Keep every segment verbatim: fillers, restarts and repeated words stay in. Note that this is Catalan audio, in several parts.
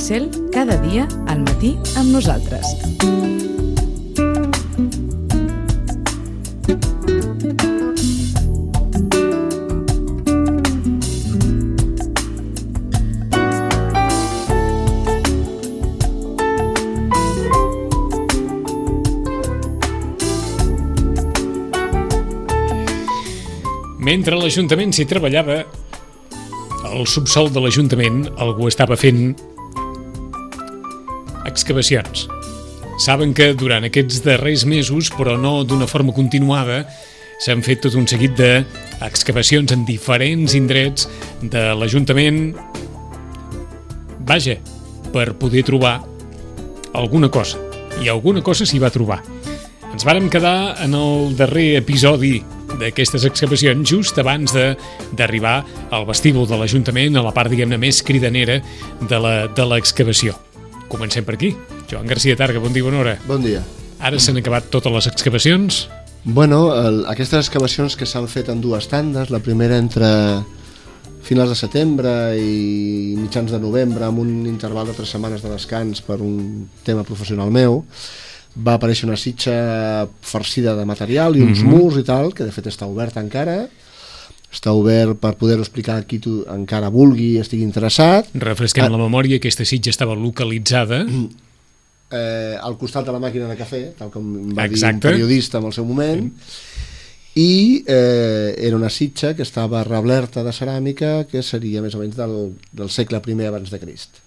Cel, cada dia al matí amb nosaltres. Mentre l'Ajuntament s'hi treballava, al subsol de l'Ajuntament algú estava fent excavacions. Saben que durant aquests darrers mesos, però no d'una forma continuada, s'han fet tot un seguit d'excavacions en diferents indrets de l'Ajuntament, vaja, per poder trobar alguna cosa. I alguna cosa s'hi va trobar. Ens vàrem quedar en el darrer episodi d'aquestes excavacions just abans de d'arribar al vestíbul de l'Ajuntament, a la part, diguem-ne, més cridanera de la, de l'excavació. Comencem per aquí. Joan Garcia Targa, bon dia, bona hora. Bon dia. Ara s'han acabat totes les excavacions? Bueno, el, aquestes excavacions que s'han fet en dues tandes, la primera entre finals de setembre i mitjans de novembre, amb un interval de tres setmanes de descans per un tema professional meu, va aparèixer una sitxa farcida de material i uns mm-hmm. murs i tal, que de fet està obert encara. Està obert per poder-ho explicar a qui tu encara vulgui i estigui interessat. Refresquem ah. la memòria, aquesta sitxa estava localitzada eh, al costat de la màquina de cafè, tal com va Exacte. dir un periodista en el seu moment, sí. I eh, era una sitxa que estava reblerta de ceràmica, que seria més o menys del, del segle primer abans de Crist.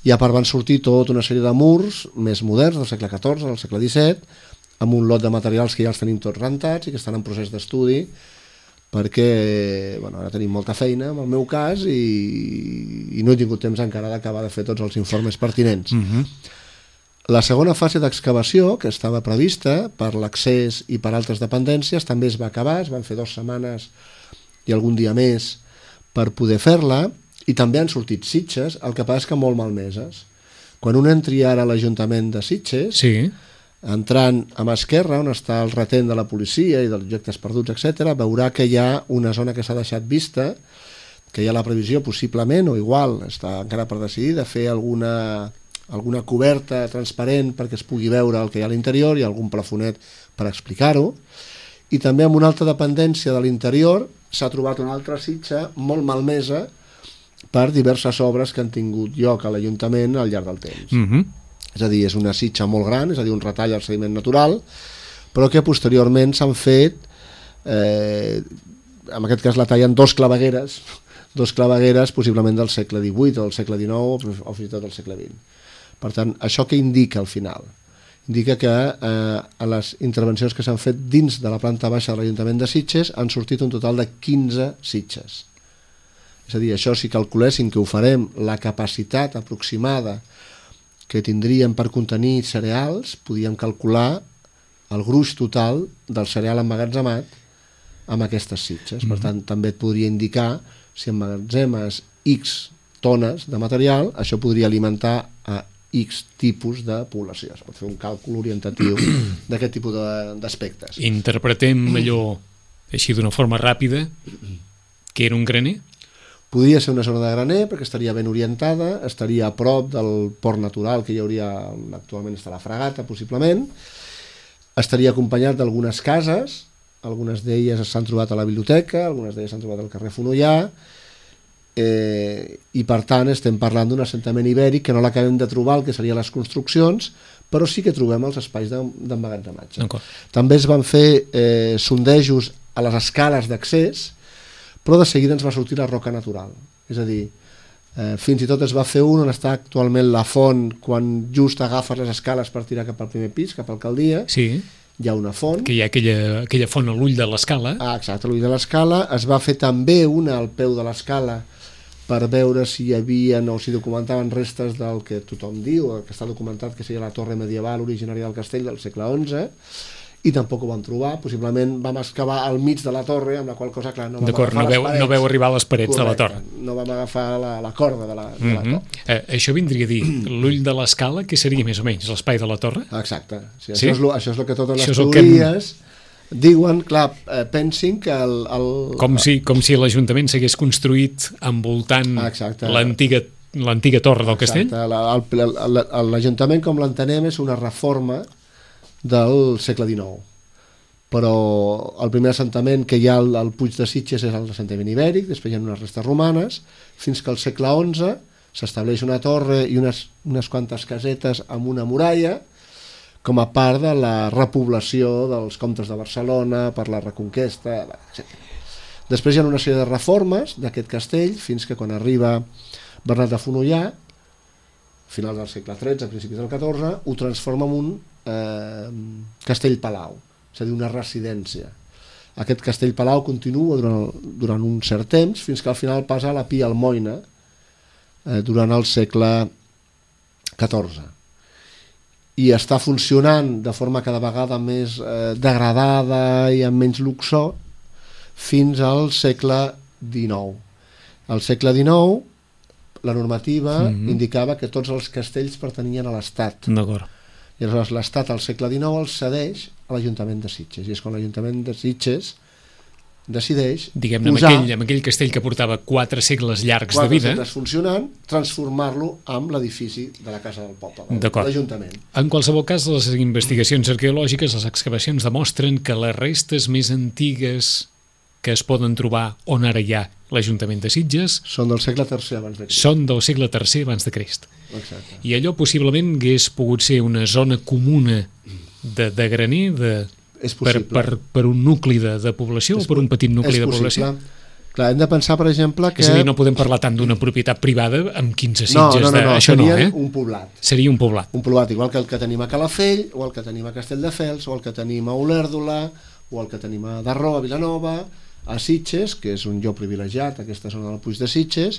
I a part van sortir tota una sèrie de murs més moderns del segle catorze, del segle disset, amb un lot de materials que ja els tenim tots rentats i que estan en procés d'estudi, perquè bueno, ara tenim molta feina, en el meu cas, i, i no he tingut temps encara d'acabar de fer tots els informes pertinents. Mm-hmm. La segona fase d'excavació, que estava prevista per l'accés i per altres dependències, també es va acabar, es van fer dues setmanes i algun dia més per poder fer-la, i també han sortit sitges, el que passa és que molt malmeses. Quan un entri ara a l'Ajuntament de Sitges, sí. entrant a mà esquerra, on està el retent de la policia i dels objectes perduts, etcètera, veurà que hi ha una zona que s'ha deixat vista, que hi ha la previsió, possiblement, o igual, està encara per decidir, de fer alguna, alguna coberta transparent perquè es pugui veure el que hi ha a l'interior i algun plafonet per explicar-ho. I també en una altra dependència de l'interior s'ha trobat una altra sitja molt malmesa per diverses obres que han tingut lloc a l'Ajuntament al llarg del temps. Mm-hmm. És a dir, és una sitja molt gran, és a dir, un retall al sediment natural, però que posteriorment s'han fet, eh, en aquest cas la tallen dos clavegueres, dos clavegueres possiblement del segle divuit o del segle dinou o fins i tot del segle vint. Per tant, això què indica al final? Indica que eh, a les intervencions que s'han fet dins de la planta baixa de l'Ajuntament de Sitges han sortit un total de quinze sitges. És a dir, això si calculéssim que ho farem, la capacitat aproximada que tindríem per contenir cereals, podíem calcular el gruix total del cereal emmagatzemat amb aquestes sitges. Mm-hmm. Per tant, també et podria indicar si emmagatzemes X tones de material, això podria alimentar a X tipus de població. Es pot fer un càlcul orientatiu d'aquest tipus d'aspectes. Interpretem allò així d'una forma ràpida, que era un graner? Podria ser una zona de graner perquè estaria ben orientada, estaria a prop del port natural que hi hauria, actualment està la fragata possiblement, estaria acompanyat d'algunes cases, algunes d'elles s'han trobat a la biblioteca, algunes d'elles s'han trobat al carrer Fonollà, eh, i per tant estem parlant d'un assentament ibèric que no l'acabem de trobar, el que serien les construccions, però sí que trobem els espais d'emmagatzematge. També es van fer eh, sondejos a les escales d'accés, però de seguida ens va sortir la roca natural. És a dir, eh, fins i tot es va fer un on està actualment la font, quan just agafes les escales per tirar cap al primer pis, cap a l'alcaldia, sí. Hi ha una font. Que hi ha aquella, aquella font a l'ull de l'escala. Ah, exacte, a l'ull de l'escala. Es va fer també una al peu de l'escala per veure si hi havia o si documentaven restes del que tothom diu, el que està documentat que seria la torre medieval originària del castell del segle onze, i tampoc ho vam trobar, possiblement vam excavar al mig de la torre, amb la qual cosa, clar, no vam D'acord, agafar no les veu, parets. no veu arribar a les parets. Correcte, de la torre. No vam agafar la, la corda de la, de mm-hmm. la torre. Eh, això vindria a dir, l'ull de l'escala, que seria més o menys l'espai de la torre? Exacte, sí, sí? Això, és lo, això és el que totes això les teories que... diuen, clar, eh, pensin que el... el... Com, si, com si l'Ajuntament s'hagués construït envoltant l'antiga l'antiga torre del castell? Exacte, l'Ajuntament com l'entenem és una reforma del segle dinou, però el primer assentament que hi ha al, al Puig de Sitges és l'assentament ibèric, després hi ha unes restes romanes, fins que al segle onze s'estableix una torre i unes, unes quantes casetes amb una muralla com a part de la repoblació dels comtes de Barcelona per la Reconquesta, etcètera. Després hi ha una sèrie de reformes d'aquest castell fins que quan arriba Bernat de Fonollà, finals del segle tretze, a principis del catorze, ho transforma en un eh, castell-palau, és a dir, una residència. Aquest castell-palau continua durant, durant un cert temps fins que al final passa a la Pia Almoina eh, durant el segle catorze. I està funcionant de forma cada vegada més eh, degradada i amb menys luxor fins al segle dinou. Al segle dinou la normativa mm-hmm. indicava que tots els castells pertanyien a l'Estat. D'acord. I aleshores l'Estat al segle dinou els cedeix a l'Ajuntament de Sitges. I és quan l'Ajuntament de Sitges decideix diguem-ne, posar... Amb aquell, amb aquell castell que portava quatre segles llargs de vida... Quatre segles funcionant, transformar-lo amb l'edifici de la Casa del Poble, de l'Ajuntament. En qualsevol cas, les investigacions arqueològiques, les excavacions demostren que les restes més antigues que es poden trobar on ara hi ha l'Ajuntament de Sitges són del segle tercer abans de Crist. Són del segle tercer abans de Crist. Exacte. I allò possiblement hagués pogut ser una zona comuna de, de graner de, per, per, per un nucli de, de població és, o per un petit nucli de població. Clar, hem de pensar, per exemple, que... És a dir, no podem parlar tant d'una propietat privada amb quinze sitges. No, no, no, no. Això seria no, eh? un poblat. Seria un poblat. Un poblat, igual que el que tenim a Calafell, o el que tenim a Castelldefels, o el que tenim a Olèrdola, o el que tenim a Darro, a Vilanova, a Sitges, que és un lloc privilegiat, aquesta zona del Puig de Sitges,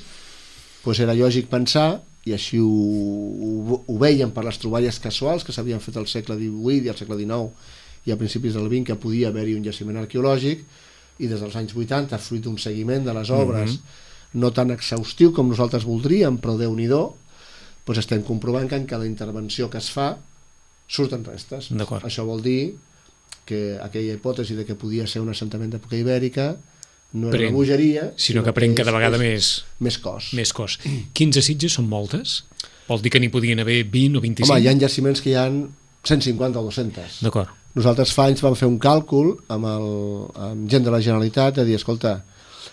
doncs era lògic pensar, i així ho, ho, ho veiem per les troballes casuals que s'havien fet al segle divuit i al segle dinou i a principis del vint, que podia haver-hi un jaciment arqueològic, i des dels anys vuitanta, fruit d'un seguiment de les obres mm-hmm. no tan exhaustiu com nosaltres voldríem, però Déu-n'hi-do, doncs estem comprovant que en cada intervenció que es fa surten restes. Això vol dir que aquella hipòtesi de que podia ser un assentament d'època ibèrica no era pren, una bogeria, sinó que pren cada vegada més, més cos. Més cos. quinze sitges són moltes? Vol dir que n'hi podien haver vint o vint-i-cinc? Home, hi ha jaciments que hi ha cent cinquanta o dos-cents. D'acord. Nosaltres fa anys vam fer un càlcul amb, el, amb gent de la Generalitat de dir, escolta,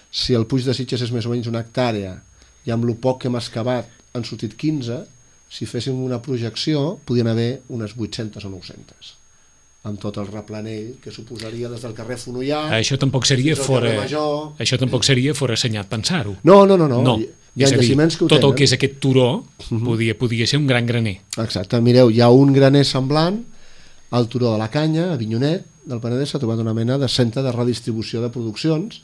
si el Puig de Sitges és més o menys una hectàrea i amb el poc que hem excavat han sortit quinze, si féssim una projecció podien haver unes vuit-centes o nou-centes, amb tot el replanell que suposaria des del carrer Fonollà. Això tampoc seria fora això tampoc seria fora assenyat pensar-ho. No, no, no, no. no. Hi ha jaciments que ho tenen. Tot el que és aquest turó uh-huh. podia, podia ser un gran graner. Exacte, mireu, hi ha un graner semblant al turó de la Canya, a Avinyonet del Penedès, s'ha trobat una mena de centre de redistribució de produccions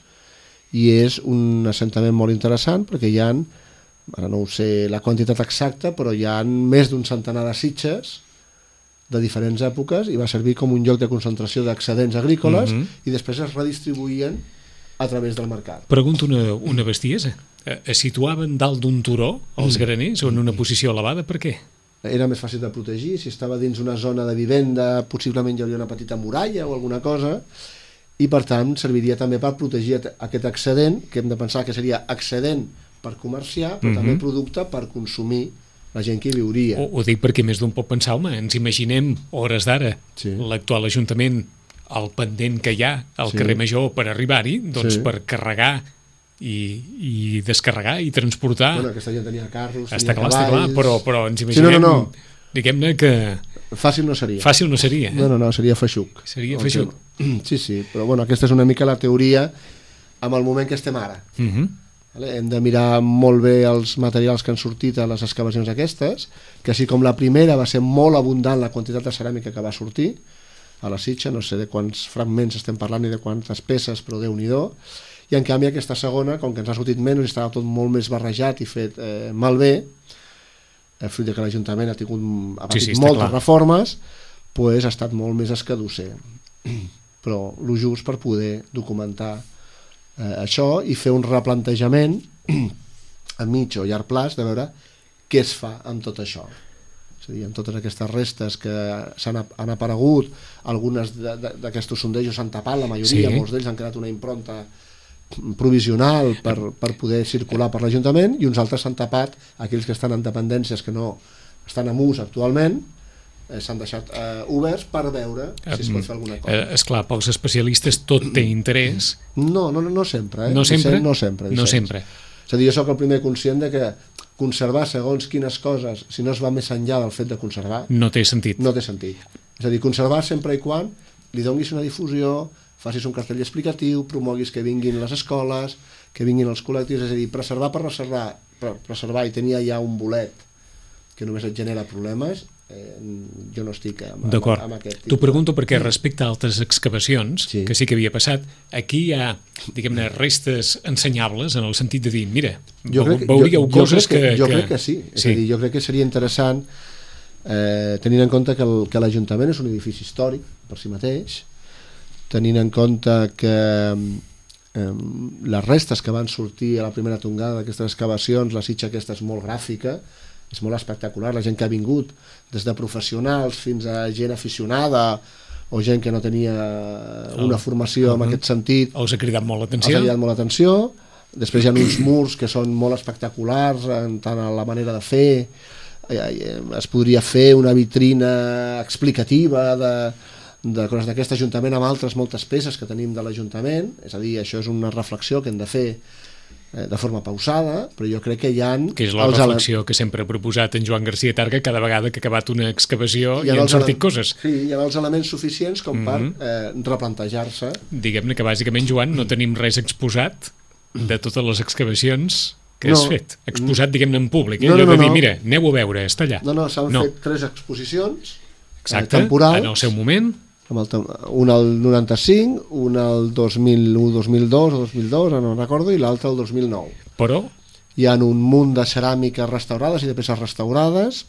i és un assentament molt interessant perquè hi ha, ara no ho sé la quantitat exacta, però hi ha més d'un centenar de sitges de diferents èpoques i va servir com un lloc de concentració d'excedents agrícoles mm-hmm. i després es redistribuïen a través del mercat. Pregunto una, una bestiesa. Es situaven dalt d'un turó els graners o en una posició elevada? Per què? Era més fàcil de protegir. Si estava dins una zona de vivenda, possiblement hi hauria una petita muralla o alguna cosa, i per tant serviria també per protegir aquest excedent, que hem de pensar que seria excedent per comerciar, però mm-hmm. també producte per consumir la gent que hi viuria. Ho, ho dic perquè més d'un pot pensar, home, ens imaginem hores d'ara sí. l'actual Ajuntament, el pendent que hi ha al sí. carrer Major per arribar-hi, doncs sí. per carregar i, i descarregar i transportar. Bueno, aquesta gent tenia carros, està tenia clar, cavalls... Està clar, però, però ens imaginem, sí, no, no, no. diguem-ne que... Fàcil no seria. Fàcil no seria, eh? No, no, no, seria feixuc. Seria feixuc. Sí, sí, però bueno, aquesta és una mica la teoria amb el moment que estem ara. Mhm. Uh-huh. Hem de mirar molt bé els materials que han sortit a les excavacions aquestes, que així com la primera va ser molt abundant la quantitat de ceràmica que va sortir a la Sitja, no sé de quants fragments estem parlant ni de quantes peces, però Déu-n'hi-do, i en canvi aquesta segona, com que ens ha sortit menys i estava tot molt més barrejat i fet eh, malbé, eh, fruit de que l'Ajuntament ha tingut ha patit sí, sí, moltes clar. reformes, pues, ha estat molt més escadusser. Però el just per poder documentar Eh, això i fer un replantejament a mig o llarg plaç de veure què es fa amb tot això, és a dir, amb totes aquestes restes que s'han, han aparegut, algunes d'aquests sondejos s'han tapat, la majoria, sí. molts d'ells han creat una impronta provisional per, per poder circular per l'Ajuntament, i uns altres s'han tapat, aquells que estan en dependències que no estan en ús actualment, eh, s'han deixat eh, oberts per veure si es pot fer alguna cosa. Eh, esclar, pels especialistes tot té interès. No, no, no, no sempre. Eh? No sempre? No sempre. No sempre. És a dir, jo soc el primer conscient de que conservar segons quines coses, si no es va més enllà del fet de conservar, no té sentit. No té sentit. És a dir, conservar sempre i quan li donis una difusió, facis un cartell explicatiu, promoguis que vinguin les escoles, que vinguin els col·lectius, és a dir, preservar per preservar, per preservar i tenir ja un bolet que només et genera problemes, eh, jo no estic amb, amb, amb aquest tipus. T'ho pregunto perquè respecte a altres excavacions, sí. que sí que havia passat, aquí hi ha, diguem-ne, restes ensenyables en el sentit de dir, mira, jo crec, veuríeu jo, jo coses crec que, que... Jo que... crec que sí, és sí. a dir, jo crec que seria interessant eh, tenint en compte que el, que l'Ajuntament és un edifici històric per si mateix, tenint en compte que eh, les restes que van sortir a la primera tongada d'aquestes excavacions, la sitja aquesta és molt gràfica, és molt espectacular, la gent que ha vingut des de professionals fins a gent aficionada o gent que no tenia una formació en aquest sentit, els ha cridat molt l'atenció. Els ha cridat molt l'atenció. Després hi ha uns murs que són molt espectaculars en tant a la manera de fer, es podria fer una vitrina explicativa de, de coses d'aquest Ajuntament amb altres moltes peces que tenim de l'Ajuntament, és a dir, això és una reflexió que hem de fer de forma pausada, però jo crec que hi ha... Que és la reflexió que sempre ha proposat en Joan García Targa cada vegada que ha acabat una excavació i han sortit coses. Sí, hi ha els elements suficients com per eh, replantejar-se. Diguem-ne que bàsicament, Joan, no tenim res exposat de totes les excavacions que has fet. Exposat, diguem-ne, en públic. Eh? No, no, Allò de dir, no. mira, aneu a veure, està allà. No, no, s'han no. fet tres exposicions Exacte, eh, temporals. En el seu moment. Un al noranta-cinc, un al dos mil u, dos mil dos o dos mil dos, no recordo, i l'altre el dos mil nou. Però? Hi ha un munt de ceràmiques restaurades i de peces restaurades,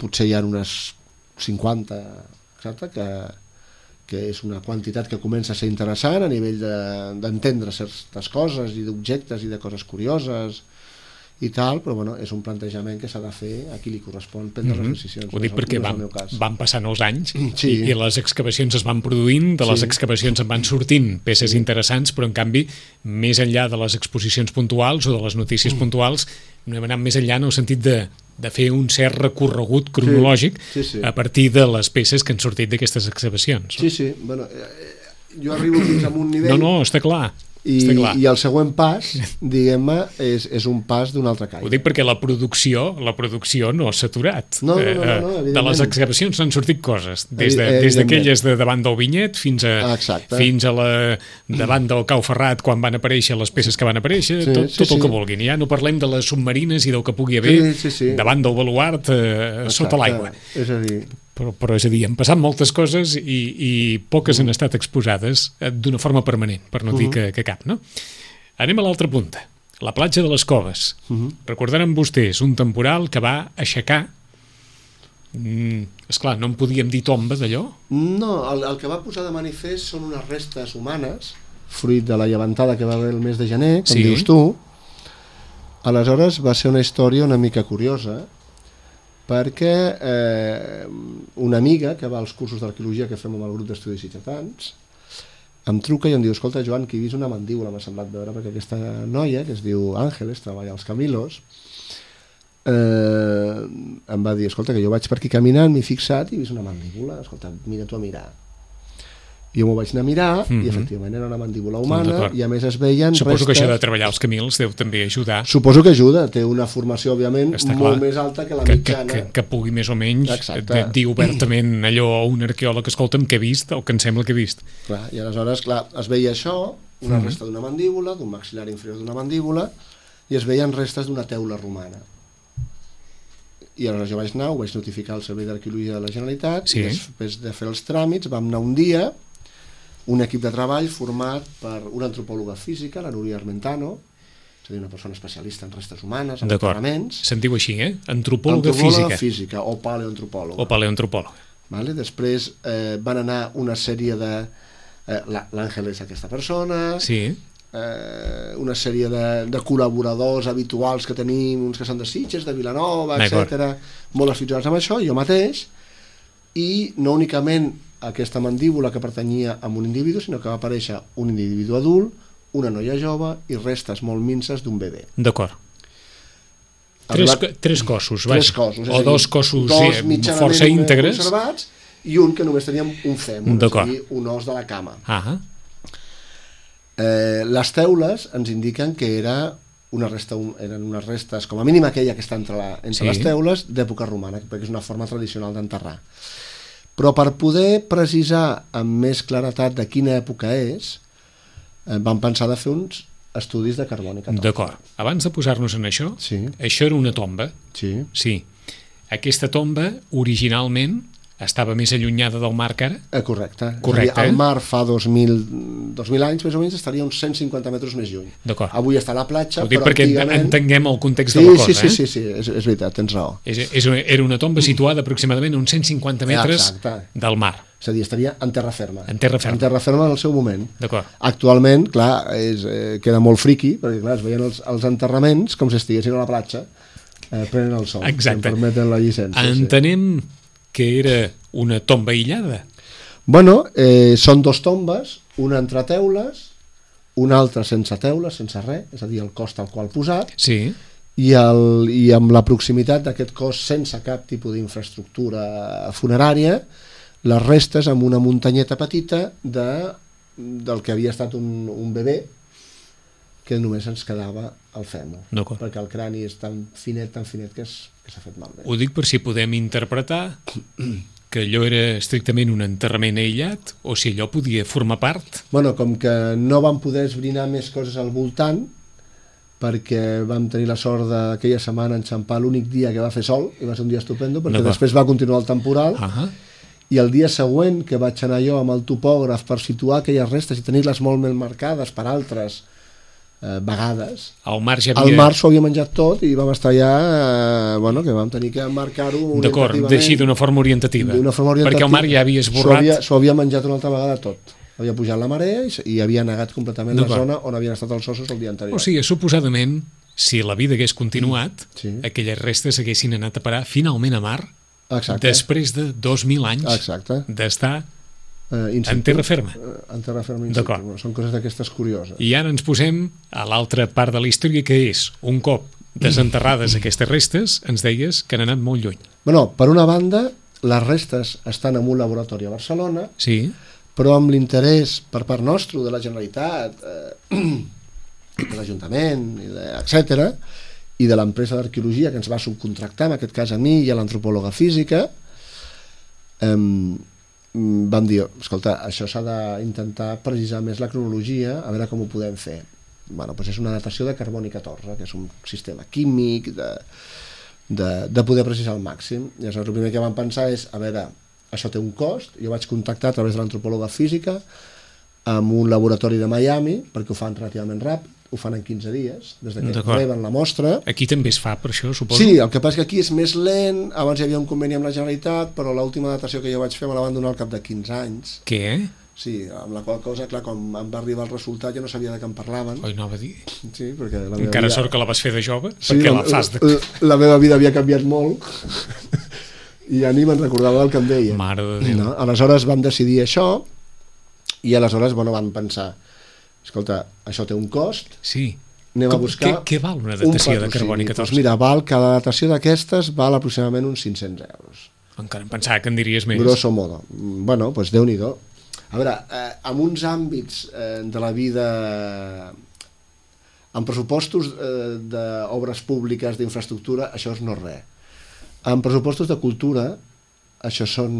potser hi ha unes cinquanta, exacte, que, que és una quantitat que comença a ser interessant a nivell d'entendre de, certes coses i d'objectes i de coses curioses i tal, però bueno, és un plantejament que s'ha de fer a qui li correspon prendre mm-hmm. les decisions. Ho dic perquè no van, van passant els anys sí. i, i les excavacions es van produint, de les sí. excavacions en van sortint peces sí. interessants, però en canvi més enllà de les exposicions puntuals o de les notícies mm. puntuals, no hem anat més enllà en el sentit de, de fer un cert recorregut cronològic sí. Sí, sí. a partir de les peces que han sortit d'aquestes excavacions. Sí, sí, bueno, eh, jo arribo fins a un nivell... No, no, està clar. I, i el següent pas, diguem-ne, és, és un pas d'un altre caire. Ho dic perquè la producció la producció no s'ha aturat. No, no, no, no, de les excavacions n'han sortit coses, des de, des d'aquelles de davant del Vinyet fins a, fins a la davant del Cau Ferrat quan van aparèixer les peces que van aparèixer, sí, tot, sí, tot el sí. que vulguin. Ja no parlem de les submarines i del que pugui haver sí, sí, sí. davant del baluart eh, sota l'aigua. És a dir... Però, però és a dir, han passat moltes coses i, i poques uh-huh. han estat exposades d'una forma permanent, per no uh-huh. dir que, que cap, no? Anem a l'altra punta, la platja de les Coves. Uh-huh. Recordaran vostès un temporal que va aixecar, mm, esclar, no en podíem dir tomba d'allò? No, el, el que va posar de manifest són unes restes humanes, fruit de la llevantada que va haver el mes de gener, com sí. dius tu. Aleshores va ser una història una mica curiosa, perquè eh, una amiga que va als cursos d'arqueologia que fem amb el grup d'estudis sitgetans em truca i em diu, escolta Joan, que he vist una mandíbula, m'ha semblat veure, perquè aquesta noia, que es diu Àngeles, treballa als Camilos, eh, em va dir, escolta, que jo vaig per aquí caminant, m'he fixat i he vist una mandíbula, escolta, mira tu a mirar. Jo m'ho vaig anar a mirar mm-hmm. i efectivament era una mandíbula humana i a més es veien Suposo restes... que això de treballar als Camils deu també ajudar. Suposo que ajuda, té una formació òbviament Està molt clar. més alta que la que, mitjana. Que, que, que pugui més o menys dir obertament allò a un arqueòleg, escolta'm, que he vist o que em sembla que he vist. Clar, i aleshores clar, es veia això, una mm-hmm. resta d'una mandíbula, d'un maxil·lar inferior d'una mandíbula, i es veien restes d'una teula romana. I aleshores jo vaig anar, ho vaig notificar al Servei d'Arqueologia de la Generalitat sí. i després de fer els tràmits vam anar un dia, un equip de treball format per una antropòloga física, la Núria Armentano, és a dir, una persona especialista en restes humanes, en enterraments. Se'n diu així, eh? Antropòloga, antropòloga física. física o paleoantropòloga. O paleoantropòloga. Vale? Després eh, van anar una sèrie de... Eh, L'Àngel és aquesta persona, sí. eh, una sèrie de, de col·laboradors habituals que tenim, uns que són de Sitges, de Vilanova, etcètera, molt aficionats amb això, jo mateix, i no únicament aquesta mandíbula que pertanyia a un individu, sinó que va aparèixer un individu adult, una noia jove i restes molt minces d'un bebè. D'acord. Tres, tres cossos, vaja. Tres cossos. O dos cossos dos sí, força íntegres. Conservats i un que només tenia un fèmur, és a dir, un os de la cama. Ah. Eh, les teules ens indiquen que era una resta, un, eren unes restes, com a mínim aquella que està entre, la, entre sí. les teules, d'època romana, perquè és una forma tradicional d'enterrar. Però per poder precisar amb més claretat de quina època és, eh, vam pensar de fer uns estudis de carboni catorze. D'acord. Abans de posar-nos en això, sí. això era una tomba. Sí. Sí. Aquesta tomba, originalment, estava més allunyada del mar que ara? Eh, correcte. Correcte. Dir, el mar fa dos mil, dos mil anys, més o menys, estaria uns cent cinquanta metres més lluny. D'acord. Avui està a la platja, ho dic però perquè antigament... entenguem el context sí, de la cosa. Sí, sí, eh? sí, sí, és, és veritat, tens raó. És, és una, era una tomba situada aproximadament a uns cent cinquanta metres Exacte. del mar. És a dir, estaria en terra ferma. En terra ferma. En terra ferma en el seu moment. D'acord. Actualment, clar, és, eh, queda molt friqui, perquè clar, es veien els, els enterraments com si estiguessin a la platja, eh, prenen el sol. Exacte. Si em permeten la llicència. Entenem sí. que era una tomba aïllada. Bueno, eh, són dos tombes, una entre teules, una altra sense teules, sense res, és a dir, el cos tal qual posat, sí. i, el, i amb la proximitat d'aquest cos sense cap tipus d'infraestructura funerària, les restes amb una muntanyeta petita de, del que havia estat un, un bebè, que només ens quedava el fèmur, perquè el crani és tan finet, tan finet que s'ha fet malbé. Ho dic per si podem interpretar que allò era estrictament un enterrament aïllat o si allò podia formar part. Bueno, com que no vam poder esbrinar més coses al voltant, perquè vam tenir la sort d'aquella setmana enxampar l'únic dia que va fer sol, i va ser un dia estupendo, perquè no, després va continuar el temporal, uh-huh. i el dia següent que vaig anar jo amb el topògraf per situar aquelles restes i tenir-les molt ben marcades per altres eh, vegades, el mar, ja havia... el mar s'ho havia menjat tot i vam estar ja, eh, bueno, que vam tenir que marcar-ho orientativament. D'acord, d'així d'una forma orientativa. D'una forma orientativa. Perquè el mar ja havia esborrat... S'ho havia, s'ho havia menjat una altra vegada tot. Havia pujat la marea i, i havia negat completament la zona on havien estat els ossos el dia anterior. O sigui, suposadament, si la vida hagués continuat, sí. aquelles restes haguessin anat a parar finalment a mar. Exacte. Després de dos mil anys d'estar uh, en terra ferma. Uh, en terra ferma in situ. Són coses d'aquestes curioses. I ara ens posem a l'altra part de la història, que és, un cop desenterrades aquestes restes, ens deies que han anat molt lluny. Bueno, per una banda, les restes estan en un laboratori a Barcelona, sí. però amb l'interès per part nostre, de la Generalitat, eh, de l'Ajuntament, etcètera, i de l'empresa d'arqueologia que ens va subcontractar, en aquest cas a mi i a l'antropòloga física, eh, vam dir, escolta, això s'ha d'intentar precisar més la cronologia, a veure com ho podem fer. Bueno, doncs és una datació de carboni catorze, que és un sistema químic de, de, de poder precisar al màxim. I llavors el primer que vam pensar és, a veure, això té un cost, jo vaig contactar a través de l'antropòloga física amb un laboratori de Miami, perquè ho fan relativament ràpid, ho fan en quinze dies, des que reben la mostra. Aquí també es fa per això, suposo? Sí, el que passa que aquí és més lent, abans hi havia un conveni amb la Generalitat, però l'última datació que jo vaig fer me la van donar al cap de quinze anys. Què? Sí, amb la qual cosa, clar, quan em va arribar el resultat ja no sabia de què em parlaven. Oi, no va dir? Sí, perquè la meva Encara vida... sort que la vas fer de jove, sí, perquè la, la fas de... La, la meva vida havia canviat molt i ja ni me'n recordava del que em deien. Mare de Déu. No? Aleshores vam decidir això i aleshores, bueno, vam pensar, escolta, això té un cost, sí. anem Com, a buscar... Què, què val una datació un de carboni catorze? Doncs mira, val, cada datació d'aquestes val aproximadament uns cinc-cents euros. Encara em pensava que en diries més. Grosso modo. Bueno, doncs Déu-n'hi-do. A veure, eh, en uns àmbits eh, de la vida, en pressupostos eh, d'obres públiques, d'infraestructura, això és no res. En pressupostos de cultura, això són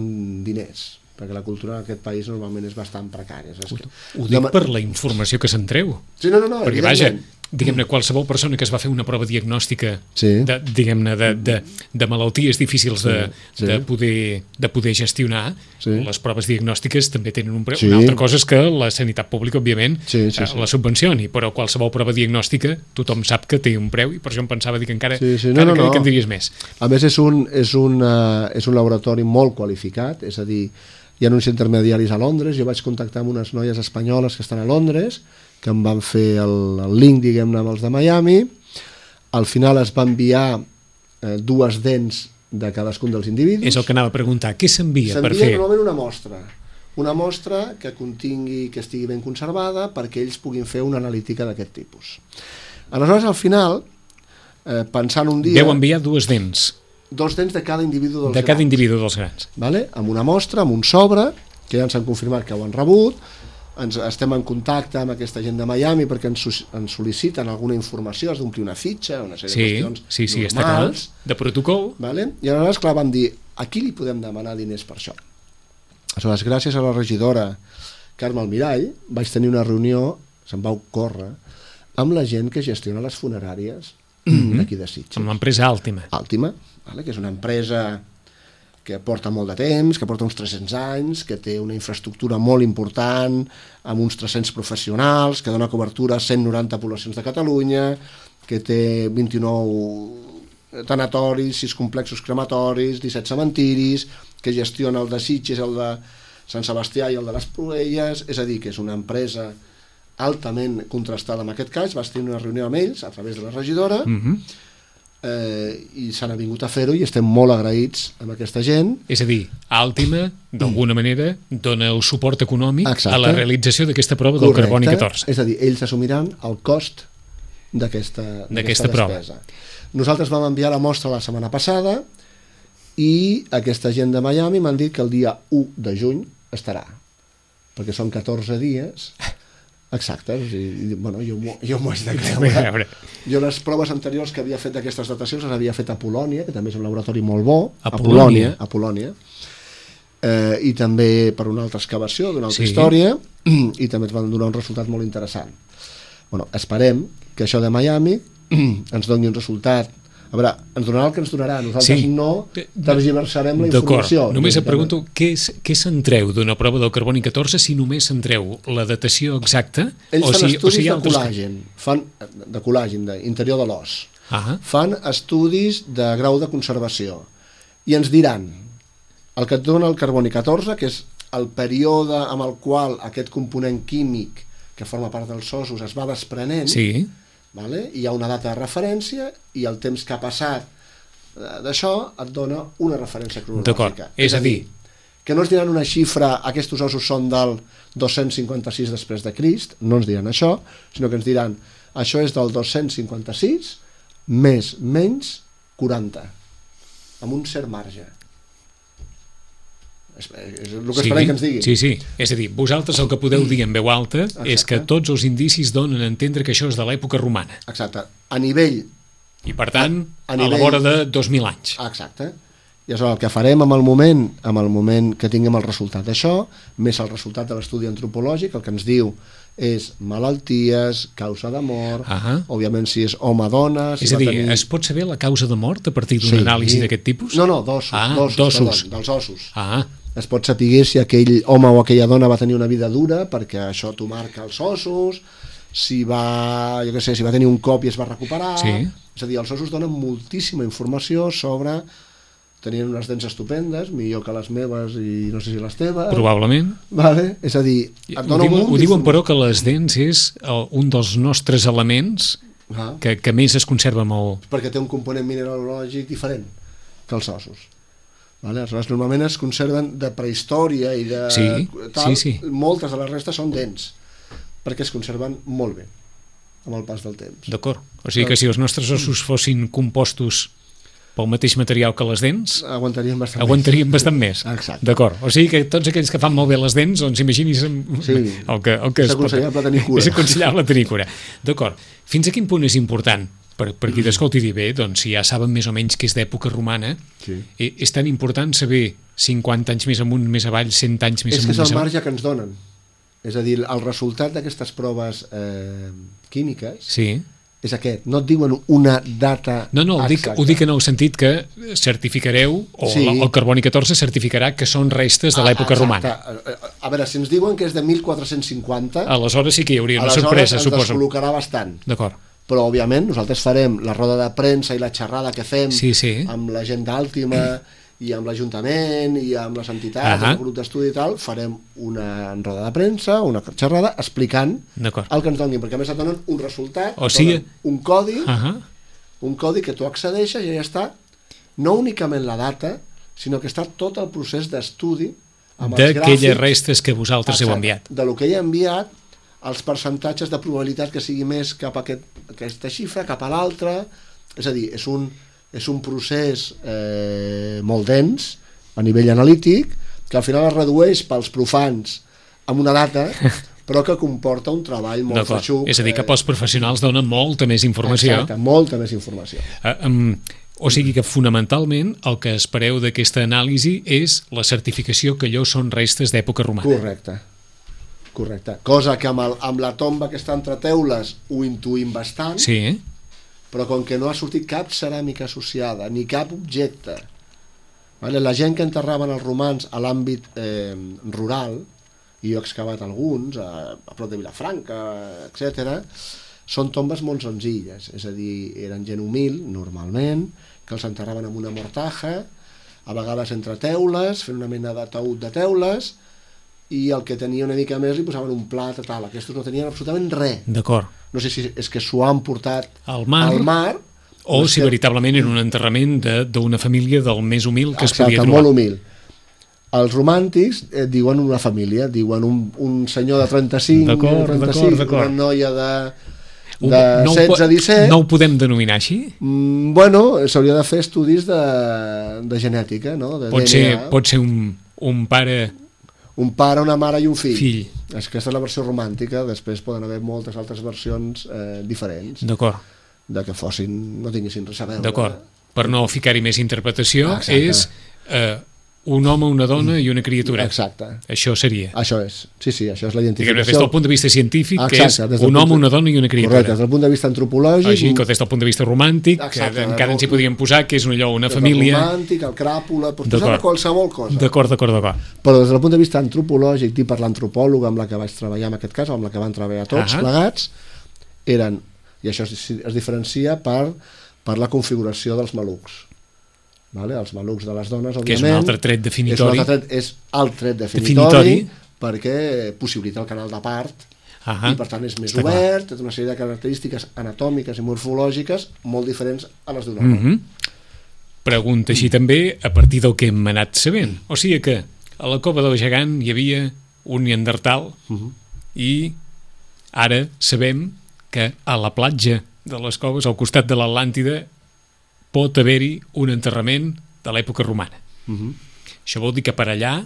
diners, perquè la cultura en aquest país normalment és bastant precària. Ho, ho dic per la informació que se'n treu. Sí, no, no, no, perquè vaja, diguem-ne, qualsevol persona que es va fer una prova diagnòstica sí. de, diguem-ne, de, de, de malalties difícils de, sí, sí. de, poder, de poder gestionar, sí. les proves diagnòstiques també tenen un preu. Sí. Una altra cosa és que la sanitat pública, òbviament, sí, sí, sí. la subvencioni, però qualsevol prova diagnòstica tothom sap que té un preu i per això em pensava dir que encara, sí, sí. No, encara no, no. que en diries més. A més, és un, és, un, uh, és un laboratori molt qualificat, és a dir, hi ha uns intermediaris a Londres, jo vaig contactar amb unes noies espanyoles que estan a Londres, que em van fer el, el link, diguem-ne, amb els de Miami. Al final es va enviar eh, dues dents de cadascun dels individus. És el que anava a preguntar, què s'envia per fer? S'envia normalment una mostra. una mostra que contingui, que estigui ben conservada perquè ells puguin fer una analítica d'aquest tipus. Aleshores, al final, eh, pensant un dia... Deu enviar dues dents. Dos dents de cada individu dels de cada grans. individu dels grans. Vale? Amb una mostra, amb un sobre, que ja ens han confirmat que ho han rebut, ens estem en contacte amb aquesta gent de Miami perquè ens, ens sol·liciten alguna informació, has d'omplir una fitxa, una sèrie sí, de qüestions sí, sí, normals. Està clar, de protocol. Vale? I aleshores, clar, vam dir, a qui li podem demanar diners per això? Aleshores, gràcies a la regidora Carme Almirall, vaig tenir una reunió, se'm va ocórrer, amb la gent que gestiona les funeràries mm-hmm. d'aquí de Sitges. Amb l'empresa Àltima. Àltima, vale? Que és una empresa que porta molt de temps, que porta uns tres-cents anys, que té una infraestructura molt important, amb uns tres-cents professionals, que dona cobertura a cent noranta poblacions de Catalunya, que té vint-i-nou tanatoris, sis complexos crematoris, disset cementiris, que gestiona el de Sitges, el de Sant Sebastià i el de les Proelles, és a dir, que és una empresa altament contrastada en aquest cas. Vas tenir una reunió amb ells a través de la regidora, Mm-hmm. Eh, i s'han vingut a fer-ho i estem molt agraïts amb aquesta gent. És a dir, Àltima, d'alguna manera, dona el suport econòmic Exacte. a la realització d'aquesta prova Correcte. del carboni catorze. És a dir, ells assumiran el cost d'aquesta prova. despesa. Nosaltres vam enviar la mostra la setmana passada i aquesta gent de Miami m'han dit que el dia u de juny estarà, perquè són catorze dies exacte, o sigui, bueno, jo, jo m'ho haig de creure. Jo les proves anteriors que havia fet d'aquestes datacions les havia fet a Polònia, que també és un laboratori molt bo, a, a Polònia, a Polònia, eh, i també per una altra excavació d'una altra sí. història, i també ens van donar un resultat molt interessant. Bueno, esperem que això de Miami ens doni un resultat. A veure, ens donarà el que ens donarà, nosaltres sí. no tergiversarem la informació. D'acord, només et pregunto què, és, què se'n treu d'una prova del carboni catorze si només se'n treu la datació exacta? Ells o fan si, estudis o si de altres... col·làgen, fan, de col·làgen, d'interior de l'os, ah. fan estudis de grau de conservació i ens diran el que et dona el carboni catorze, que és el període amb el qual aquest component químic que forma part dels ossos es va desprenent, sí. Vale? Hi ha una data de referència i el temps que ha passat d'això et dona una referència cronològica. És a dir, que no ens diran una xifra, aquests ossos són del dos-cents cinquanta-sis després de Crist, no ens diran això, sinó que ens diran això és del dos-cents cinquanta-sis més menys quaranta, amb un cert marge. És el que esperem sí, que ens diguin. Sí, sí. És a dir, vosaltres el que podeu dir en veu alta Exacte. És que tots els indicis donen a entendre que això és de l'època romana. Exacte. A nivell... I per tant, a, a, nivell... a la vora de dos mil anys. Exacte. I és el que farem amb el moment, amb el moment que tinguem el resultat d'això, més el resultat de l'estudi antropològic, el que ens diu és malalties, causa de mort, uh -huh. òbviament si és home-dona... Si és a dir, tenir... es pot saber la causa de mort a partir d'una sí. anàlisi d'aquest tipus? No, no, d'ossos, ah, d'ossos, dels ossos. Ah, es pot saber si aquell home o aquella dona va tenir una vida dura, perquè això t'ho marca els ossos, si va, jo què sé, si va tenir un cop i es va recuperar... Sí. És a dir, els ossos donen moltíssima informació sobre... Tenien unes dents estupendes, millor que les meves i no sé si les teves... Probablement. Vale? És a dir, et dona ho diuen, un ho diuen però que les dents és el, un dels nostres elements ah. que, que més es conserva molt... Perquè té un component mineralògic diferent que els ossos. Vale? Aleshores, normalment es conserven de prehistòria i de sí, tal, sí, sí. moltes de les restes són dents, perquè es conserven molt bé amb el pas del temps. D'acord, o sigui que si els nostres ossos fossin compostos pel mateix material que les dents, aguantarien bastant aguantarien més. bastant més. Exacte. D'acord, o sigui que tots aquells que fan molt bé les dents, doncs imaginis sí. el que, el que és aconsellable tenir cura. És aconsellable tenir cura. D'acord, fins a quin punt és important per, per qui t'escolti dir bé, doncs si ja saben més o menys que és d'època romana, sí. és tan important saber cinquanta anys més amunt, més avall, cent anys més és amunt, és que és el més marge que ens donen. És a dir, el resultat d'aquestes proves eh, químiques sí. és aquest, no et diuen una data no, no, ho dic, ho dic en el sentit que certificareu, o sí. el, el carboni catorze certificarà que són restes de l'època ah, romana. A veure, si ens diuen que és de mil quatre-cents cinquanta, aleshores sí que hi hauria una aleshores sorpresa, ens suposo. descol·locarà bastant. D'acord. Però, òbviament, nosaltres farem la roda de premsa i la xerrada que fem sí, sí. amb la gent d'Àltima i amb l'Ajuntament i amb les entitats, uh -huh. el grup d'estudi i tal, farem una roda de premsa, una xerrada, explicant el que ens donin, perquè a més et donen un resultat, o sigui... un codi, uh -huh. un codi que tu accedeixes i ja està, no únicament la data, sinó que està tot el procés d'estudi d'aquelles restes que vosaltres heu enviat. De lo que he enviat, els percentatges de probabilitat que sigui més cap a aquest, aquesta xifra, cap a l'altra. És a dir, és un, és un procés eh, molt dens a nivell analític, que al final es redueix pels profans amb una data, però que comporta un treball molt feixuc. És a dir, que pels professionals dona molta més informació. Exacte, molta més informació. Uh, um, o sigui que fonamentalment el que espereu d'aquesta anàlisi és la certificació que allò són restes d'època romana. Correcte. Correcte. Cosa que amb, el, amb la tomba que està entre teules ho intuïm bastant, sí, eh? Però com que no ha sortit cap ceràmica associada, ni cap objecte, vale? La gent que enterraven els romans a l'àmbit eh, rural, i jo he excavat alguns, a, a prop de Vilafranca, etcètera, són tombes molt senzilles, és a dir, eren gent humil, normalment, que els enterraven amb una mortaja, a vegades entre teules, fent una mena de taüt de teules, i el que tenia una mica més li posaven un plat, tal. Aquests no tenien absolutament res. D'acord. No sé si és que s'ho han portat al mar, al mar o si que... veritablement era un enterrament d'una família del més humil que Exacte, es podia trobar. Molt humil. Els romàntics eh, diuen una família, diuen un, un senyor de trenta-cinc, trenta-sis, una noia de, de no setze a disset... No ho podem denominar així? Mm, bueno, s'hauria de fer estudis de, de genètica, no? De pot, ser, pot ser un, un pare... Un pare, una mare i un fill. fill. Aquesta és la versió romàntica, després poden haver moltes altres versions eh, diferents. D'acord. De que fossin, no tinguessin res a veure. D'acord. Per no ficar-hi més interpretació, ah, és... Eh, un home, una dona i una criatura. Exacte. Això seria. Això és. Sí, sí, això és la identificació. Diguem, des del punt de vista científic, Exacte, que és un home, una dona i una criatura. Correcte, des del punt de vista antropològic. Així que des del punt de vista romàntic, Exacte, que encara ens hi podíem posar, que és allò, una família... El romàntic, el cràpula, pots posar qualsevol cosa. D'acord, d'acord, d'acord. Però des del punt de vista antropològic, dit per l'antropòloga amb la que vaig treballar en aquest cas, o amb la que van treballar tots ah plegats, eren, i això es, es diferencia per, per la configuració dels malucs. Vale? Els malucs de les dones, òbviament, que és un altre tret definitori, és, tret, és el tret definitori, definitori perquè possibilita el canal de part -huh. i per tant és més Està obert, té una sèrie de característiques anatòmiques i morfològiques molt diferents a les d'un home. Uh -huh. Pregunta així també a partir del que hem anat sabent, o sigui que a la Cova del Gegant hi havia un neandertal uh -huh. i ara sabem que a la platja de les coves, al costat de l'Atlàntida, pot haver-hi un enterrament de l'època romana. Uh-huh. Això vol dir que per allà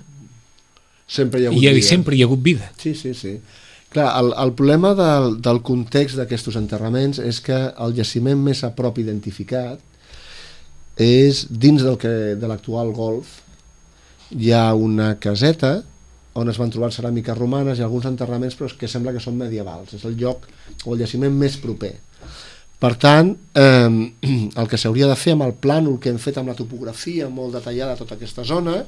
sempre hi ha hagut, hi ha, vida. Sempre hi ha hagut vida. Sí, sí, sí. Clar, el, el problema del, del context d'aquests enterraments és que el jaciment més a prop identificat és dins del que, de l'actual golf. Hi ha una caseta on es van trobar ceràmiques romanes i alguns enterraments però que sembla que són medievals. És el lloc o el jaciment més proper. Per tant, eh, el que s'hauria de fer amb el plànol que hem fet amb la topografia molt detallada a tota aquesta zona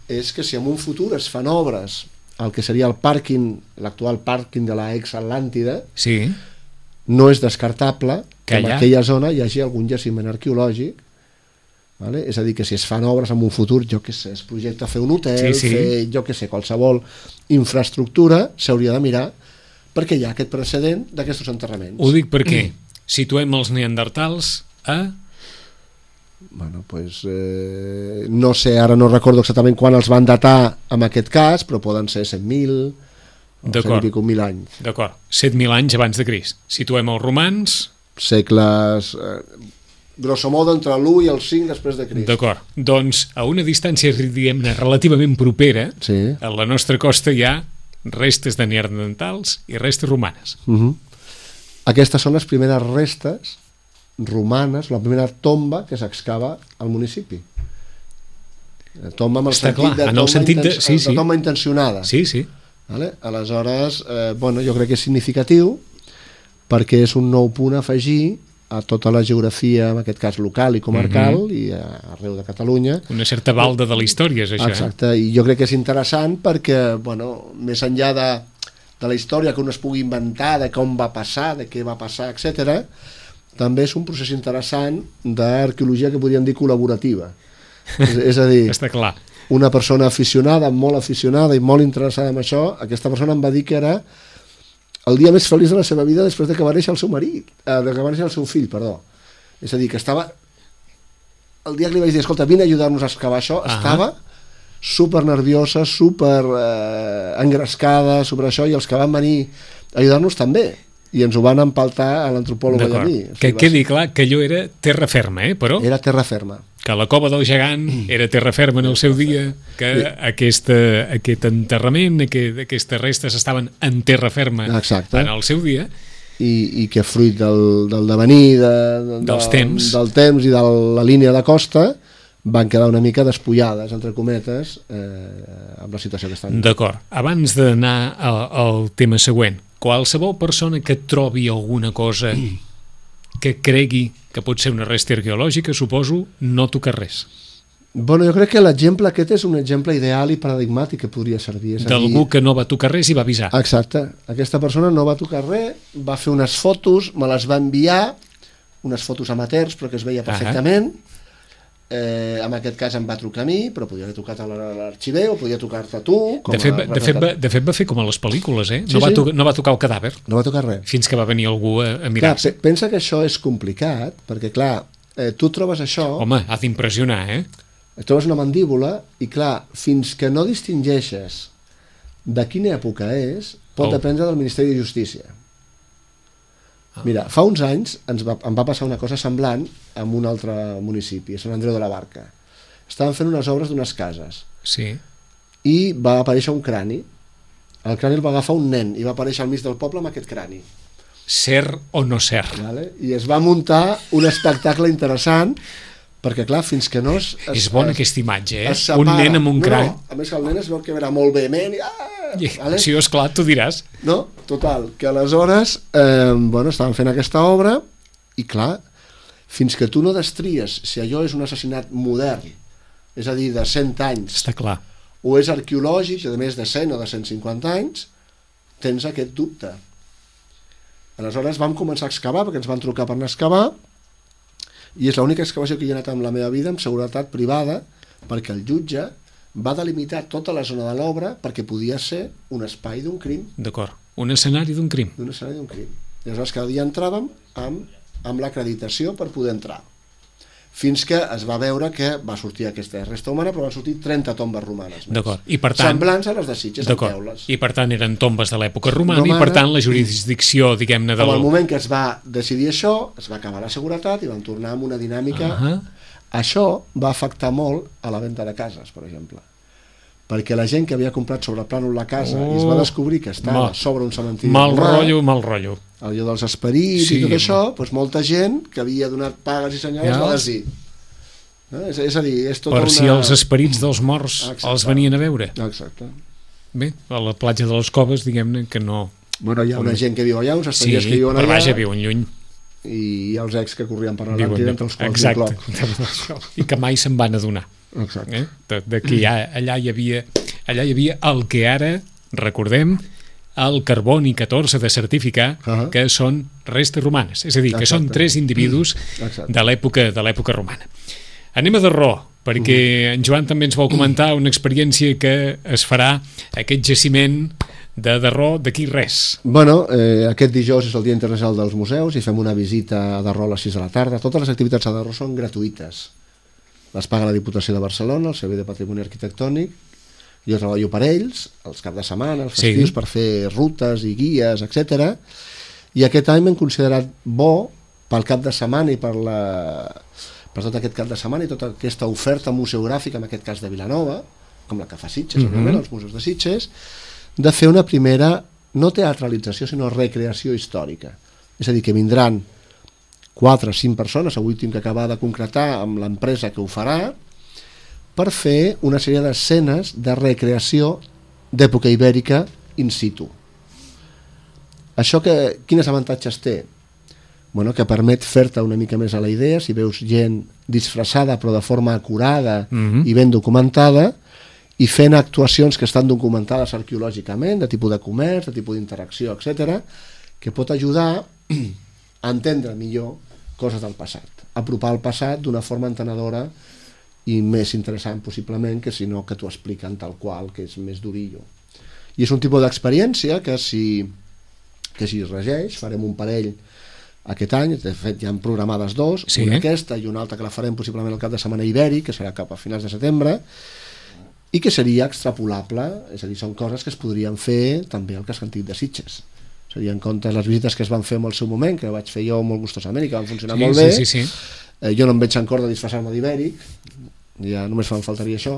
és que si en un futur es fan obres el que seria el pàrquing, l'actual pàrquing de la ex-Atlàntida, sí. no és descartable que, que en allà... aquella zona hi hagi algun jaciment arqueològic, vale? És a dir, que si es fan obres en un futur, jo què sé, es projecta fer un hotel, sí, sí. fer, jo què sé, qualsevol infraestructura, s'hauria de mirar perquè hi ha aquest precedent d'aquests enterraments. Ho dic perquè mm. situem els neandertals a... Bueno, pues, eh, no sé, ara no recordo exactament quan els van datar en aquest cas, però poden ser set mil o cent i pico mil anys. D'acord, set mil anys abans de Crist. Situem els romans... Segles... Eh, grosso modo entre l'u i el cinc després de Crist. D'acord, doncs a una distància, diguem-ne, relativament propera, sí. a la nostra costa hi ha restes de neandertals i restes romanes. Uh-huh. Aquestes són les primeres restes romanes, la primera tomba que s'excava al municipi. Tomba amb el Està sentit clar, de en el tomba, sentit de... inten... sí, sí. de tomba intencionada. Sí, sí. Vale? Aleshores, eh, bueno, jo crec que és significatiu perquè és un nou punt a afegir a tota la geografia, en aquest cas local i comarcal, uh-huh. i arreu de Catalunya. Una certa balda de la història, és això. Exacte, eh? I jo crec que és interessant perquè, bueno, més enllà de, de la història que un es pugui inventar, de com va passar, de què va passar, etcètera, també és un procés interessant d'arqueologia que podríem dir col·laborativa. És, és a dir, està clar. Una persona aficionada, molt aficionada i molt interessada en això, aquesta persona em va dir que era el dia més feliç de la seva vida després de que va néixer el seu marit, eh, de que va néixer el seu fill, perdó. És a dir, que estava... El dia que li vaig dir, escolta, vine a ajudar-nos a excavar això, uh-huh. estava super nerviosa, super eh, engrescada, sobre això, i els que van venir a ajudar-nos també, i ens ho van empaltar a l'antropòleg i a mi. O sigui, que quedi ser... clar que allò era terra ferma, eh? Però era terra ferma. Que la cova del gegant era terra ferma en el seu dia, que sí. aquesta, aquest enterrament, aquest, aquestes restes estaven en terra ferma Exacte. En el seu dia. I, i que fruit del, del devenir de, de, dels temps. del temps i de la línia de costa van quedar una mica despullades, entre cometes, eh, amb la situació que estan. D'acord. Abans d'anar al, al tema següent, qualsevol persona que trobi alguna cosa que cregui que pot ser una resta arqueològica, suposo, no toca res. Bueno, jo crec que l'exemple aquest és un exemple ideal i paradigmàtic que podria servir. D'algú que no va tocar res i va avisar. Exacte. Aquesta persona no va tocar res, va fer unes fotos, me les va enviar, unes fotos amateurs, però que es veia perfectament. Eh, en aquest cas em va trucar a mi, però podia haver trucat a l'arxiver o podia tocar-te a tu. De fet, a... de, fet, va, de fet va fer com a les pel·lícules, eh? Sí, no, va sí. tocar, no va tocar el cadàver. No va tocar res. Fins que va venir algú a, a mirar-se. Clar, pensa que això és complicat, perquè clar, eh, tu trobes això... Home, ha d'impressionar, eh? Trobes una mandíbula i clar, fins que no distingeixes de quina època és, pot oh. dependre del Ministeri de Justícia. Mira, fa uns anys ens va, em va passar una cosa semblant en un altre municipi, a Sant Andreu de la Barca. Estaven fent unes obres d'unes cases. Sí. I va aparèixer un crani. El crani el va agafar un nen i va aparèixer al mig del poble amb aquest crani. Cert o no cert. Vale? I es va muntar un espectacle interessant, perquè clar, fins que no es... És bona es, aquesta imatge, eh? Separa, un nen amb un no, crani. No, a més que el nen es veu que era molt vehement i... Ah, I, vale? Si és clar, tu diràs. No, total, que aleshores eh, bueno, estaven fent aquesta obra i clar, fins que tu no destries si allò és un assassinat modern, és a dir, de cent anys, està clar, o és arqueològic de més de cent o de cent cinquanta anys, tens aquest dubte. Aleshores vam començar a excavar, perquè ens van trucar per anar a excavar, i és l'única excavació que hi he anat en la meva vida amb seguretat privada, perquè el jutge va delimitar tota la zona de l'obra perquè podia ser un espai d'un crim. D'acord, un escenari d'un crim. Un escenari d'un crim. I aleshores cada dia entràvem amb, amb l'acreditació per poder entrar. Fins que es va veure que va sortir aquesta resta humana, però van sortir trenta tombes romanes més. D'acord. I per tant, semblants a les de Sitges, amb teules. I per tant eren tombes de l'època romana, romana, i per tant la jurisdicció, diguem-ne, del... En el moment que es va decidir això, es va acabar la seguretat i van tornar amb una dinàmica... Uh-huh. Això va afectar molt a la venda de cases, per exemple. Perquè la gent que havia comprat sobre plànol la casa oh, i es va descobrir que estava mal, sobre un cementiri mal romà, rotllo, mal rotllo. Allò dels esperits sí, i tot això, doncs molta gent que havia donat pagues i senyals ja. va dir. No? És, és a dir, és tota per una... si els esperits dels morts exacte. Els venien a veure. Exacte. Bé, a la platja de les Coves, diguem-ne que no... Bueno, hi ha una gent que viu allà, uns estrangers sí, que viuen allà... Sí, però vaja, viuen lluny. I hi ha els ex que corrien per l'Atlàntida entre els quals exacte. I que mai se'n van adonar. Exacte. Eh? De, de que ja, allà hi havia allà hi havia el que ara recordem el carboni catorze de certificar uh-huh. que són restes romanes, és a dir, que exacte. Són tres individus exacte. de l'època de l'època romana. Anem a Darró, perquè uh-huh. en Joan també ens vol comentar una experiència que es farà aquest jaciment de Darró d'aquí res. Bueno, eh, aquest dijous és el Dia Internacional dels Museus i fem una visita a Darró a les sis de la tarda. Totes les activitats a Darró són gratuïtes. Les paga la Diputació de Barcelona, el Servei de Patrimoni Arquitectònic. Jo treballo per ells, els caps de setmana, els festius, sí. per fer rutes i guies, etcètera. I aquest any m'hem considerat bo pel cap de setmana i per, la, per tot aquest cap de setmana i tota aquesta oferta museogràfica, en aquest cas de Vilanova, com la que fa Sitges, mm-hmm. òbviament, els museus de Sitges, de fer una primera, no teatralització, sinó recreació històrica. És a dir, que vindran quatre o cinc persones, avui tinc que acabar de concretar amb l'empresa que ho farà, per fer una sèrie d'escenes de recreació d'època ibèrica in situ. Això que, quins avantatges té? Bueno, que permet fer-te una mica més a la idea, si veus gent disfressada però de forma acurada mm-hmm. i ben documentada, i fent actuacions que estan documentades arqueològicament, de tipus de comerç, de tipus d'interacció, etcètera, que pot ajudar a entendre millor coses del passat, apropar el passat d'una forma entenedora i més interessant possiblement que si no que t'ho expliquen tal qual, que és més durillo. I és un tipus d'experiència que si, que si es regeix, farem un parell aquest any, de fet ja han programades dos, sí. una aquesta i una altra que la farem possiblement el cap de setmana ibèric, que serà cap a finals de setembre, i que seria extrapolable, és a dir, són coses que es podrien fer també al casc antic de Sitges. Seria en compte les visites que es van fer en el seu moment, que vaig fer jo molt gustosament i que van funcionar sí, molt bé. Sí, sí, sí. Eh, jo no em veig en cor de disfressar-me d'ibèric, ja només em faltaria això,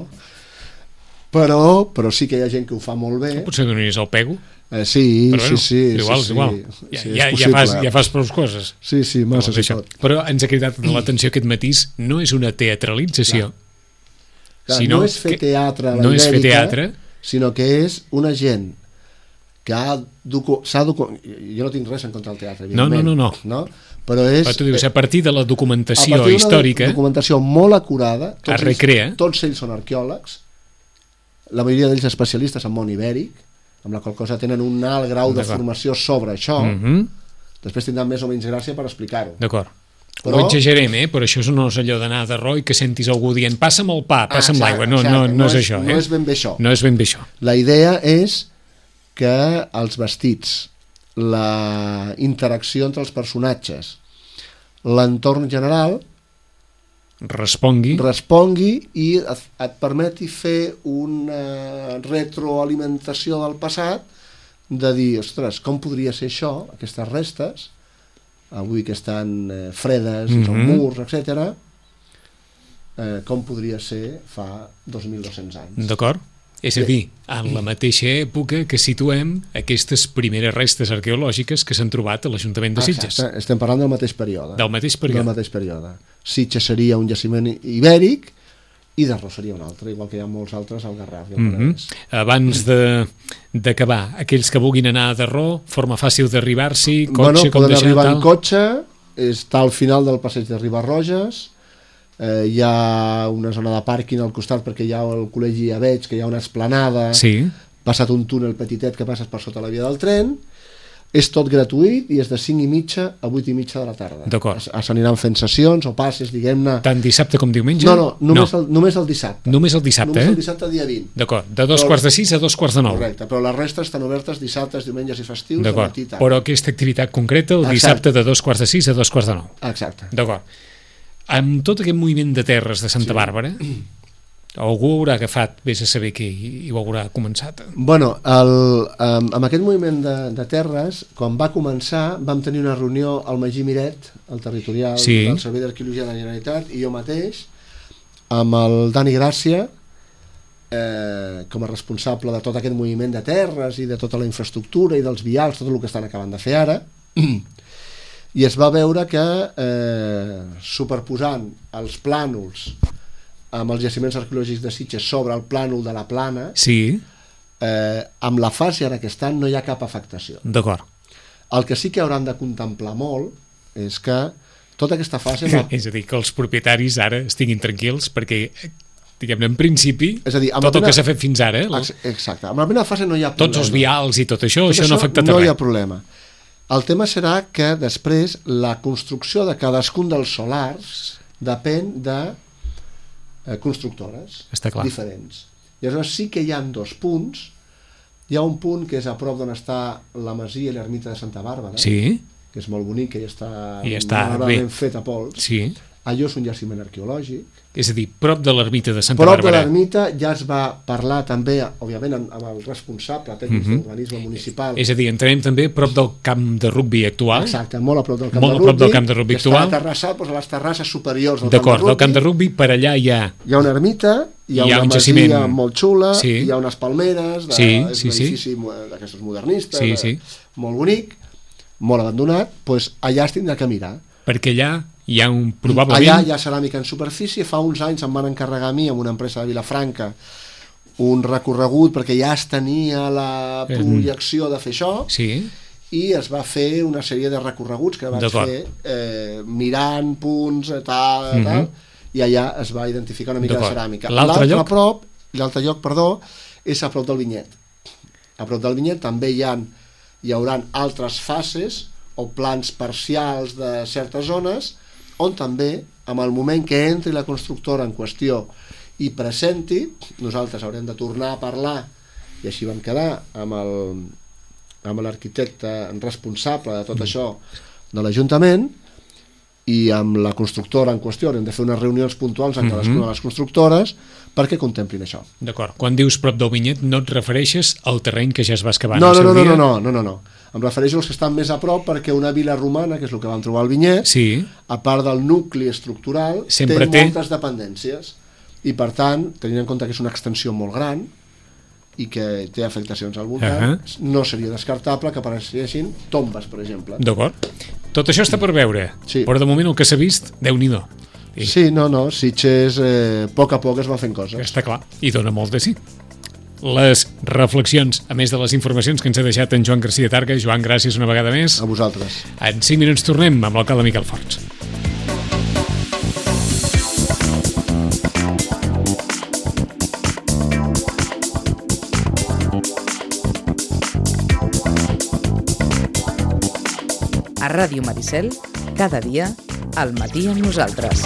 però, però sí que hi ha gent que ho fa molt bé. Potser que no hi és el pego. Eh, sí, però bueno, sí, sí. Igual, sí, igual. sí, Ja, sí, ja, ja, fas, ja fas prou coses. Sí, sí, massa si pot. Però ens ha cridat l'atenció aquest matís, no és una teatralització. Clar, sinó no és fer teatre a la no ibèrica, és fer teatre, sinó que és una gent que ha docu... s'ha docu... jo no tinc res en contra del teatre, no, no, no, no. no? Però és... Però tu dius, a partir de la documentació a històrica... documentació molt acurada, tots es recrea. Ells, tots ells són arqueòlegs, la majoria d'ells especialistes en món ibèric, amb la qual cosa tenen un alt grau de formació sobre això, mm -hmm. després tindran més o menys gràcia per explicar-ho. D'acord. Però... Ho exagerem, eh? Però això no és allò d'anar de ro i que sentis algú dient passa'm el pa, passa'm ah, l'aigua, no, no, no, no és, és això. Eh? No és ben bé això. No és ben bé això. La idea és que els vestits, la interacció entre els personatges, l'entorn general respongui respongui i et permeti fer una retroalimentació del passat, de dir, ostres, com podria ser això, aquestes restes, avui que estan eh, fredes, mm -hmm. són murs, etcètera, eh, com podria ser fa dos mil dos-cents anys. D'acord. És a dir, en la mateixa època que situem aquestes primeres restes arqueològiques que s'han trobat a l'Ajuntament de Sitges. Exacte, estem parlant del mateix període. Del mateix període. Del mateix període. Sitges seria un jaciment ibèric i Darro seria un altre, igual que hi ha molts altres al Garraf. Mm -hmm. Abans d'acabar, aquells que vulguin anar a Darro, forma fàcil d'arribar-s'hi, cotxe, bueno, com poden deixar, arribar tal? en cotxe, està al final del passeig de Ribarroges, eh, hi ha una zona de pàrquing al costat perquè hi ha el col·legi, ja veig que hi ha una esplanada, sí. passat un túnel petitet que passes per sota la via del tren, és tot gratuït i és de cinc i mitja a vuit i mitja de la tarda. D'acord. S'aniran fent sessions o passes, diguem-ne... Tant dissabte com diumenge? No, no, només, no. El, només el dissabte. Només el dissabte, només eh? el dissabte dia vint. D'acord, de dos però, quarts de sis a dos quarts de nou. Correcte, però les restes estan obertes dissabtes, diumenges i festius. D'acord, però aquesta activitat concreta el Exacte. Dissabte de dos quarts de sis a dos quarts de nou. Exacte. D'acord. Amb tot aquest moviment de terres de Santa sí. Bàrbara, algú haurà agafat, vés a saber què, i ho haurà començat. Bueno, el, um, amb aquest moviment de, de terres, quan va començar, vam tenir una reunió al Magí Miret, el territorial sí. del Servei d'Arqueologia de la Generalitat, i jo mateix, amb el Dani Gràcia, eh, com a responsable de tot aquest moviment de terres i de tota la infraestructura i dels vials, tot el que estan acabant de fer ara, i es va veure que eh, superposant els plànols amb els jaciments arqueològics de Sitges sobre el plànol de la Plana, sí. eh, amb la fase ara que estan no hi ha cap afectació. D'acord. El que sí que hauran de contemplar molt és que tota aquesta fase... Va... és a dir, que els propietaris ara estiguin tranquils perquè, diguem-ne, en principi, és a dir, tot el que s'ha fet fins ara... Eh? Exacte. Amb la primera fase no hi ha problema. Tots els vials i tot això, tot això no ha afectat no res. No hi ha problema. El tema serà que després la construcció de cadascun dels solars depèn de eh, constructores diferents. I aleshores sí que hi ha dos punts. Hi ha un punt que és a prop d'on està la masia i l'ermita de Santa Bàrbara, sí. que és molt bonic, que ja està, I està ben fet a pols. Sí. Allò és un jaciment arqueològic. És a dir, prop de l'ermita de Santa prop Bàrbara. Prop de l'ermita ja es va parlar també, òbviament, amb el responsable tècnic uh -huh. d'urbanisme municipal. És a dir, entenem també prop del camp de rugbi actual. Exacte, molt a prop del camp molt de rugbi. Molt a prop del rugbi, camp de rugbi que actual. Està aterrassat doncs, a les terrasses superiors del camp de rugbi. D'acord, del camp de rugbi per allà hi ha... Hi ha una ermita, hi ha, hi ha una un masia jaciment... molt xula, sí. hi ha unes palmeres, de, sí, és sí, un edifici sí. d'aquestos modernistes, sí, sí. De, molt bonic, molt abandonat, doncs allà es tindrà que mirar. Perquè allà hi ha un, probablement... Allà hi ha ceràmica en superfície. Fa uns anys em van encarregar a mi, amb una empresa de Vilafranca, un recorregut, perquè ja es tenia la projecció de fer això, sí. i es va fer una sèrie de recorreguts que vaig fer eh, mirant punts, tal, tal, uh-huh. i allà es va identificar una mica de ceràmica. L'altre lloc? Prop, l'altre lloc, perdó, és a prop del Vinyet. A prop del Vinyet també hi ha, hi haurà altres fases o plans parcials de certes zones, on també, en el moment que entri la constructora en qüestió i presenti, nosaltres haurem de tornar a parlar, i així vam quedar amb el amb l'arquitecte responsable de tot mm. això de l'Ajuntament, i amb la constructora en qüestió hem de fer unes reunions puntuals amb cadascuna de les constructores perquè contemplin això. D'acord. Quan dius prop del vinyet no et refereixes al terreny que ja es va excavar no, en el no, seu no, dia? no, no, no, no, no. Em refereixo als que estan més a prop perquè una vila romana, que és el que vam trobar al vinyet, sí. a part del nucli estructural, sempre té, té moltes dependències i per tant, tenint en compte que és una extensió molt gran i que té afectacions al voltant, uh -huh. no seria descartable que apareixessin tombes, per exemple. D'acord. Tot això està per veure, sí. però de moment el que s'ha vist, Déu-n'hi-do. I... Sí, no, no, Sitges eh, a poc a poc es va fent coses. Està clar, i dona molt de sí. Les reflexions, a més de les informacions que ens ha deixat en Joan Garcia Targa. Joan, gràcies una vegada més. A vosaltres. En cinc minuts tornem amb l'alcalde Miquel Forns. A Ràdio Maricel, cada dia, al matí amb nosaltres.